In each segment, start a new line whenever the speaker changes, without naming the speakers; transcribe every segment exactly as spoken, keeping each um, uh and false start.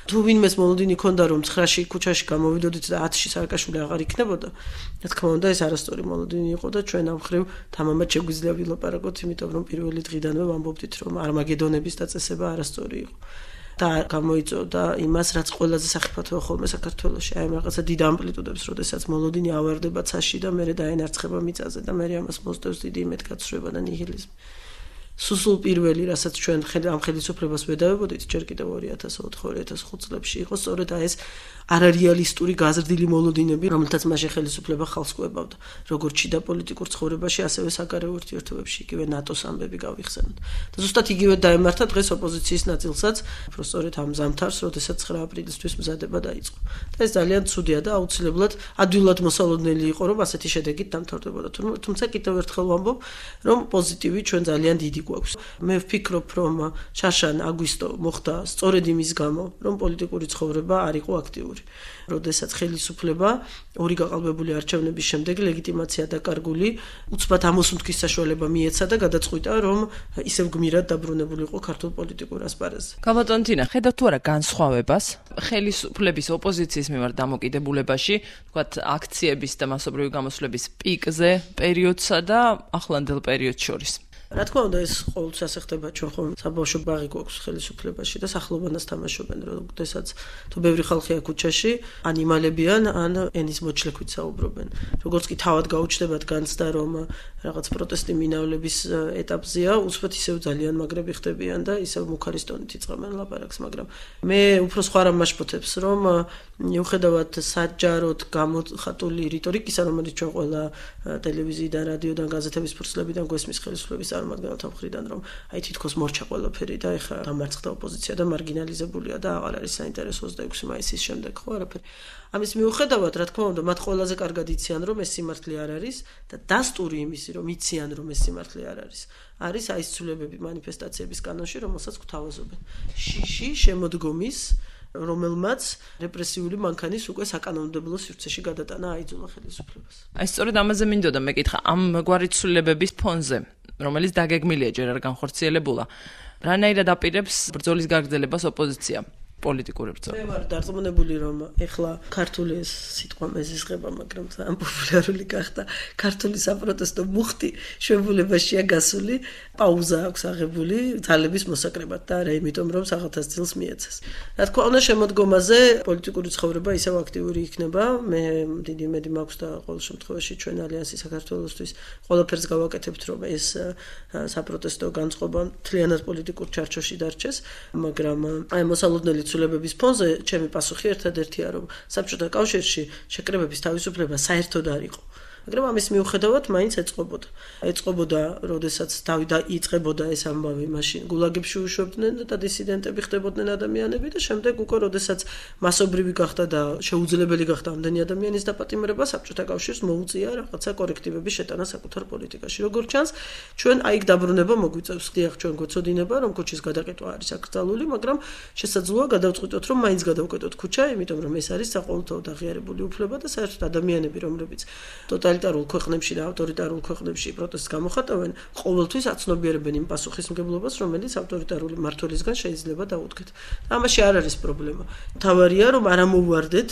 თუ ვინმეს მოლოდინი ქონდა რომ ცხრაში ქუჩაში გამოვიდოდით და ათში სააკაშვილი აღარ იქნებოდა, რა თქმა უნდა ეს არასწორი მოლოდინი იყო და ჩვენ ამ ხრივ თამამად შეგვიძლია ვილაპარაკოთ, იმიტომ რომ პირველი დღიდანვე ვამბობდით რომ არმაგედონების დაწესება არასწორი იყო. და გამოიწოდა იმას, რაც ყველაზე სახიფათოა ხოლმე საქართველოში. აი რაღაცა დიდ ამპლიტუდებს, როდესაც მოლოდინი ავარდება ცაში და მერე დაენარცხება მიწაზე და მერე ამას მოსდევს დიდი იმედგაცრუება და ნიჰილიზმი. სუსულ პირველი, რასაც ჩვენ ამ ხელისუფლებას ვედავებოდით, ჯერ კიდევ ორი ათას ოთხ ორი ათას ხუთ წლებში იყო სწორედ აი ეს არარეალისტური გაზრდილი მოლოდინები, რომელთაც მაშინ ხელისუფლება ხალხს კვებავდა. როგორც შიდა პოლიტიკურ ცხოვრებაში, ასევე საგარეო ურთიერთობებში, იგივე ნატოს ამბები გავიხსენოთ. და ზუსტად იგივე დაემართა დღეს ოპოზიციის ნაწილსაც, უფრო სწორედ ამ ზამთარს, როდესაც ცხრა აპრილისთვის მზადება დაიწყო. და ეს ძალიან ცუდია და აუცილებლად ადვილად მოსალოდნელი იყო, რომ ასეთი შედეგით დამთავრდებოდა. თუმცა კიდევ ერთხელ ვამბობ, რომ პოზიტივი ჩვენ ძალიან დიდი გვაქვს. მე ვფიქრობ, რომ შარშან აგვისტო მოხდა სწორედ იმის გამო, რომ პოლიტიკური ცხოვრება არ იყო აქტიური. როდესაც ხელისუფლება ორი გაყალბებული არჩევნების შემდეგ ლეგიტიმაცია დაკარგული, უცბად ამოსუნთქვის საშუალება მიეცა და გადაწყვიტა, რომ ისევ გმირად დაბრუნებული იყო ქართულ პოლიტიკურ ასპარეზზე.
გაბატონ თინა, ხედავთ თუ არა განსხვავებას ხელისუფლების ოპოზიციის მიმართ დამოკიდებულებაში, თქვათ აქციების და მასობრივი გამოსვლების პიკზე პერიოდსა და ახლანდელ პერიოდს შორის?
რა თქმა უნდა ეს ყოველთვის ასე ხდება, ჩვენ ხომ საბავშვო ბაღი გვაქვს ხელისუფლებაში და სახლობანას თამაშობენ, როდესაც თუ ბევრი ხალხია ქუჩაში, ან იმალებიან, ან ენის მოჩლექვით საუბრობენ. როგორც კი თავად გაუჩნდებათ განცდა, რომ რაღაც პროტესტი მინავლების ეტაპზეა, უცბად ისევ ძალიან მაგრები ხდებიან და ისევ მუქარის ტონით იწყებენ ლაპარაკს, მაგრამ მე უფრო სხვა რამ მაშფოთებს, რომ მიუხედავად საჯაროდ გამოხატული რიტორიკისა, რომელიც ჩვენ ყველა ტელევიზიიდან, რადიოდან, გაზეთების ფურცლებიდან გვესმის ხელისუფლების წარმომადგენელთა მხრიდან, რომ აი თითქოს მორჩა ყველაფერი და ეხლა დამარცხდა ოპოზიცია და მარგინალიზებულია და აღარ არის საინტერესო ოცდაექვსი მაისის შემდეგ ხო არაფერი. ამის მიუხედავად, რა თქმა უნდა, მათ ყველაზე კარგად იციან, რომ ეს სიმართლე არ არის და დასტური იმისი, რომ იციან, რომ ეს სიმართლე არ არის, არის აი ეს ცვლილებები მანიფესტაციების კანონში, რომელსაც გვთავაზობენ. შიში შემოდგომის რომელმაც რეპრესიული მანქანის უკვე საკანონმდებლო სივრცეში გადატანა აიძულა ხელისუფლებას.
აი სწორედ ამაზე მინდოდა მეკითხა, ამ გვარი ცვლილებების ფონზე, რომელიც დაგეგმილია ჯერ არ განხორციელებულა, რანაირად აპირებს ბრძოლის გაგრძელებას ოპოზიცია? პოლიტიკური ბრძოლა.
მე ვარ დარწმუნებული, რომ ეხლა ქართული ეს სიტყვა მეზისღება, მაგრამ ძალიან პოპულარული გახდა. ქართული საპროტესტო მუხტი შვებულებაშია გასული, პაუზა აქვს აღებული ძალების მოსაკრებად და არა იმიტომ, რომ საყოთას ძილს მიეცეს. რა თქმა უნდა, შემოდგომაზე პოლიტიკური ცხოვრება ისევ აქტიური იქნება. მე დიდი იმედი მაქვს და ყოველ შემთხვევაში ჩვენ ალიანსი საქართველოსთვის ყველაფერს გავაკეთებთ, რომ ეს საპროტესტო განწყობა მთლიანად პოლიტიკურ ჩარჩოში დარჩეს, მაგრამ აი მოსალოდნელი ცვლილებების ფონზე ჩემი პასუხი ერთადერთია, რომ საბჭოთა კავშირში შეკრებების თავისუფლება საერთოდ არ იყო. მაგრამ ამის მიუხედავად მაინც ეწყობოდა. ეწყობოდა, როდესაც დავიდა იწყებოდა ეს ამბავი, მაშინ გულაგებში უშვებდნენ და დისიდენტები ხდებოდნენ ადამიანები და შემდეგ უკვე როდესაც მასობრივი გახდა და შეუძლებელი გახდა ამდენი ადამიანის დაპატიმრება, საბჭოთა კავშირს მოუწია რაღაცა კორექტივების შეტანა საკუთარ პოლიტიკაში. როგორც ჩანს, ჩვენ აი დაბრუნება მოგვიწევს. ხდიახ ჩვენ გვეცოდინება, რომ ქუჩის გადაკეტვა არის აკრძალული, მაგრამ შესაძლოა გადავწყვიტოთ, რომ მაინც გადავკეტოთ ქუჩა, იმიტომ რომ ეს არის საყოველთაოდ აღიარებული უფლება და საერთოდ ადამიანები, რომლებიც ტოტალიტარულ ქვეყნებში და ავტორიტარულ ქვეყნებში პროტესტს გამოხატავენ, ყოველთვის აცნობიერებენ იმ პასუხისმგებლობას, რომელიც ავტორიტარული მმართველისგან შეიძლება დაუდგეთ. ამაში არ არის პრობლემა. თავარია, რომ არ ამოვარდეთ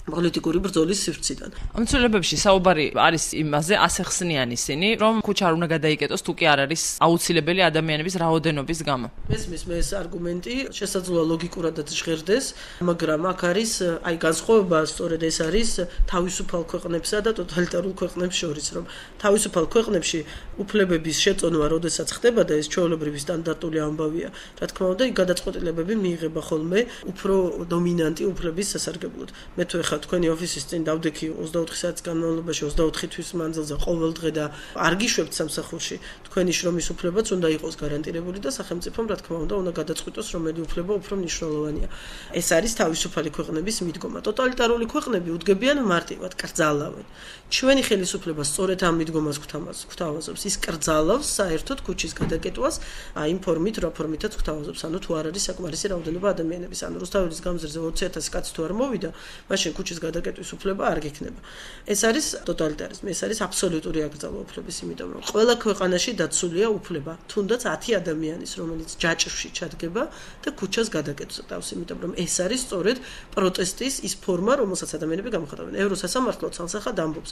პოლიტიკური ბრძოლის სივრციდან.
ამ ცვლილებებში საუბარი არის იმაზე, ასეხსნიან ისინი, რომ ქუჩა არ უნდა გადაიკეტოს, თუ კი არ არის აუცილებელი ადამიანების რაოდენობის გამო.
მესმის მე ეს არგუმენტი შესაძლოა ლოგიკურადაც ჟღერდეს, მაგრამ აქ არის აი განსხვავება, სწორედ ეს არის თავისუფალ ქვეყნებსა და ტოტალიტარულ ქვეყნებს შორის, რომ თავისუფალ ქვეყნებში უფლებების შეწონვა, როდესაც ხდება და ეს ჩვეულებრივი სტანდარტული ამბავია, რა თქმა უნდა, იქ გადაწყვეტილებები მიიღება ხოლმე უფრო დომინანტი უფლების სასარგებლოდ. მე თუ თქვენი ოფისის წინ დავდექი ოცდაოთხი საათის განმავლობაში ოცდაოთხი თვის მანძილზე ყოველ დღე და არ გიშვებთ სამსახურში, თქვენი შრომის უფლებაც უნდა იყოს გარანტირებული და სახელმწიფომ რა თქმა უნდა უნდა გადაწყვიტოს, რომელი უფლება უფრო მნიშვნელოვანია. ეს არის თავისუფალი ქვეყნების მიდგომა. ტოტალიტარული ქვეყნები უდგებიან მარტივად, კრძალავენ. ჩვენი ხელისუფლება სწორედ ამ მიდგომას გვთავაზობს. ის კრძალავს საერთოდ ქუჩის გადაკეტვას, აი იმ ფორმით, რა ფორმითაც გვთავაზობს. ანუ თუ არ არის საკმარისი რაოდენობა ადამიანების, ანუ რუსთაველის გამზირზე ოცი ათასი კაცი თუ არ მოვიდა, მაშინ ქუჩის გადაკეტვის უფლება არ გექნება. ეს არის ტოტალიტარიზმი, ეს არის აბსოლუტური აკრძალვა უფლების, იმიტომ რომ ყველა ქვეყანაში დაცულია უფლება, თუნდაც ათი ადამიანის, რომელიც ჯაჭვში ჩადგება და ქუჩას გადაკეთოს თავს, იმიტომ რომ ეს არის სწორედ პროტესტის ის ფორმა, რომელსაც ადამიანები გამოხატავენ. ევროსასამართლო ცალსახად ამბობს,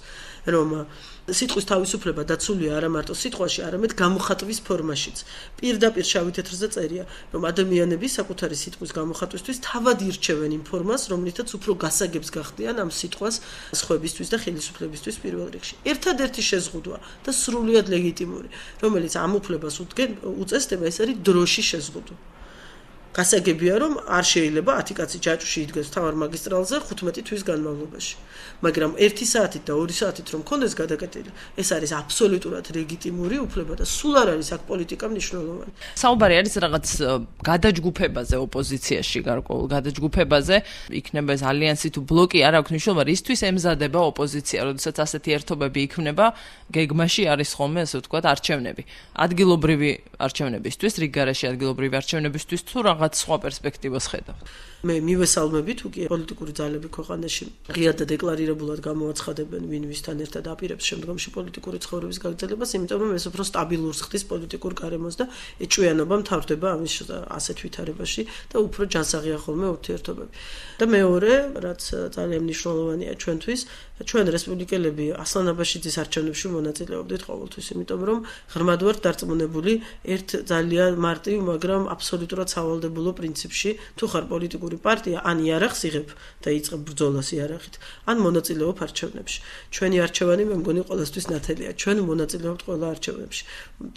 რომ სიტყვის თავისუფლება დაცულია არა მარტო სიტყვაში, არამედ გამოხატვის ფორმაშიც. პირდაპირ შავი თეთრზე წერია, რომ ადამიანები საკუთარი სიტყვის გამოხატვისთვის თავად ირჩევენ იმ ფორმას, რომლითაც უფრო გასაგებს გახდიან ამ სიტყვას სხვებისთვის და ხელისუფლებისთვის პირველ რიგში. ერთადერთი შეზღუდვა და სრულიად ლეგიტიმური, რომელიც ამ უფლებას უწესდება, ეს არის დროში შეზღუდვა. გასაგებია, რომ არ შეიძლება ათი კაცი ჯაჭვში იდგეს თავარ მაგისტრალზე ხუთმეტი თვის განმავლობაში. მაგრამ ერთი საათით და ორი საათით რომ კონდეს გადაკეტილი, ეს არის აბსოლუტურად ლეგიტიმური უფლება და სულ არ არის აქ პოლიტიკა მნიშვნელოვანი.
საუბარი არის რაღაც გადაჯგუფებაზე ოპოზიციაში, გარკვეულ გადაჯგუფებაზე, იქნება ეს ალიანსი თუ ბლოკი, არ აქვს მნიშვნელობა, რისთვის ემზადება ოპოზიცია, როდესაც ასეთი ერთობები იქმნება, გეგმაში არის ხოლმე, ასე ვთქვათ, არჩევნები. ადგილობრივი არჩევნებისთვის, რიგგარეშე ადგილობრივი არჩევნებისთვის თუ რაღაც სხვა პერსპექტივას ხედავთ.
მე მივესალმები თუ კი პოლიტიკური ძალები ქვეყანაში ღიად და დეკლარირებულად გამოაცხადებენ ვინ ვისთან ერთად აპირებს შემდგომში პოლიტიკური ცხოვრების გაგრძელებას, იმიტომ რომ ეს უფრო სტაბილურს ხდის პოლიტიკურ გარემოს და ეჭვიანობა მთავრდება ამის ასეთ ვითარებაში და უფრო ჯანსაღია ხოლმე ურთიერთობები. და მეორე, რაც ძალიან მნიშვნელოვანია ჩვენთვის, ჩვენ რესპუბლიკელები ასლანაბაშიძის არჩევნებში მონაწილეობდით ყოველთვის, იმიტომ რომ ღრმად ვართ დარწმუნებული ერთ ძალიან მარტივ, მაგრამ აბსოლუტურად სავალდებულო პრინციპში, თუ ხარ პოლიტიკური პარტია, ან იარაღს იღებ და იწყებ ბრძოლას იარაღით, ან მონაწილეობ არჩევნებში. ჩვენი არჩევანი მე მგონი ყველასთვის ნათელია. ჩვენ მონაწილეობთ ყველა არჩევნებში.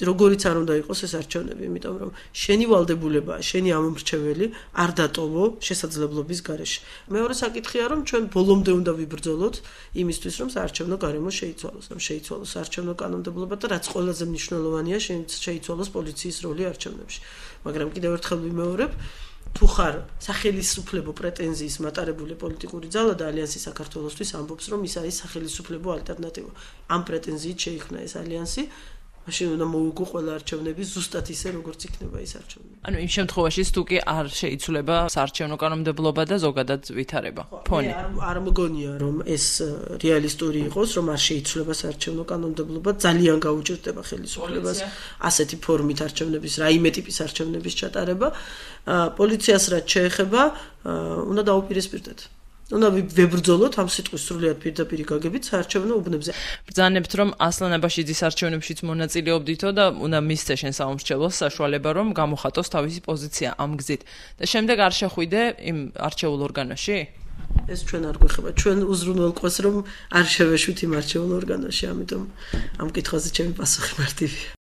როგორიც არ უნდა იყოს ეს არჩევნები, იმიტომ რომ შენი ვალდებულებაა, შენი ამომრჩეველი არ დატოვო შესაძლებლობის გარეშე. მეორე საკითხია, რომ ჩვენ ბოლომდე უნდა ვიბრძოლოთ იმისთვის, რომ საარჩევნო გარემო შეიცვალოს, რომ შეიცვალოს საარჩევნო კანონმდებლობა და რაც ყველაზე მნიშვნელოვანია, შეიცვალოს პოლიციის როლი არჩევნებში. მაგრამ კიდევ ერთხელ ვიმეორებ, თუ ხარ სახელისუფლებო პრეტენზიის მატარებული პოლიტიკური ძალა და ალიანსი საქართველოსთვის ამბობს, რომ ის არის სახელისუფლებო ალტერნატივა. ამ პრეტენზიით შეიქმნა ეს ალიანსი, მაშინ უნდა მოუგო ყველა არჩევნები ზუსტად ისე, როგორც იქნება ეს არჩევნები.
ანუ იმ შემთხვევაში თუ კი არ შეიცვლება საარჩევნო კანონმდებლობა და ზოგადად ვითარება. ფონი.
არ არ მგონია, რომ ეს რეალისტური იყოს, რომ არ შეიცვლება საარჩევნო კანონმდებლობა, ძალიან გაუჭირდება ხელისუფლებას ასეთი ფორმით არჩევნების, რაიმე ტიპის არჩევნების ჩატარება. პოლიციას რაც შეეხება, უნდა დაუპირისპირდეთ. უნდა ვებრძოლოთ ამ სიტყვის სრულიად პირდაპირ გაგებით საარჩევნო უბნებზე.
ბრძანებთ, რომ ასლანაბაშიძის არჩევნებშიც მონაწილეობდითო და უნდა მისცე შენ საომრჩევლოს საშუალება, რომ გამოხატოს თავისი პოზიცია ამ გზით. და შემდეგ არ შეხვიდე იმ არჩეულ ორგანოში?
ეს ჩვენ არ გვეხება. ჩვენ უზრუნველყვეს, რომ არ შევეშვით იმ არჩეულ ორგანოში, ამიტომ ამ კითხვაზე ჩემი პასუხი მარტივია.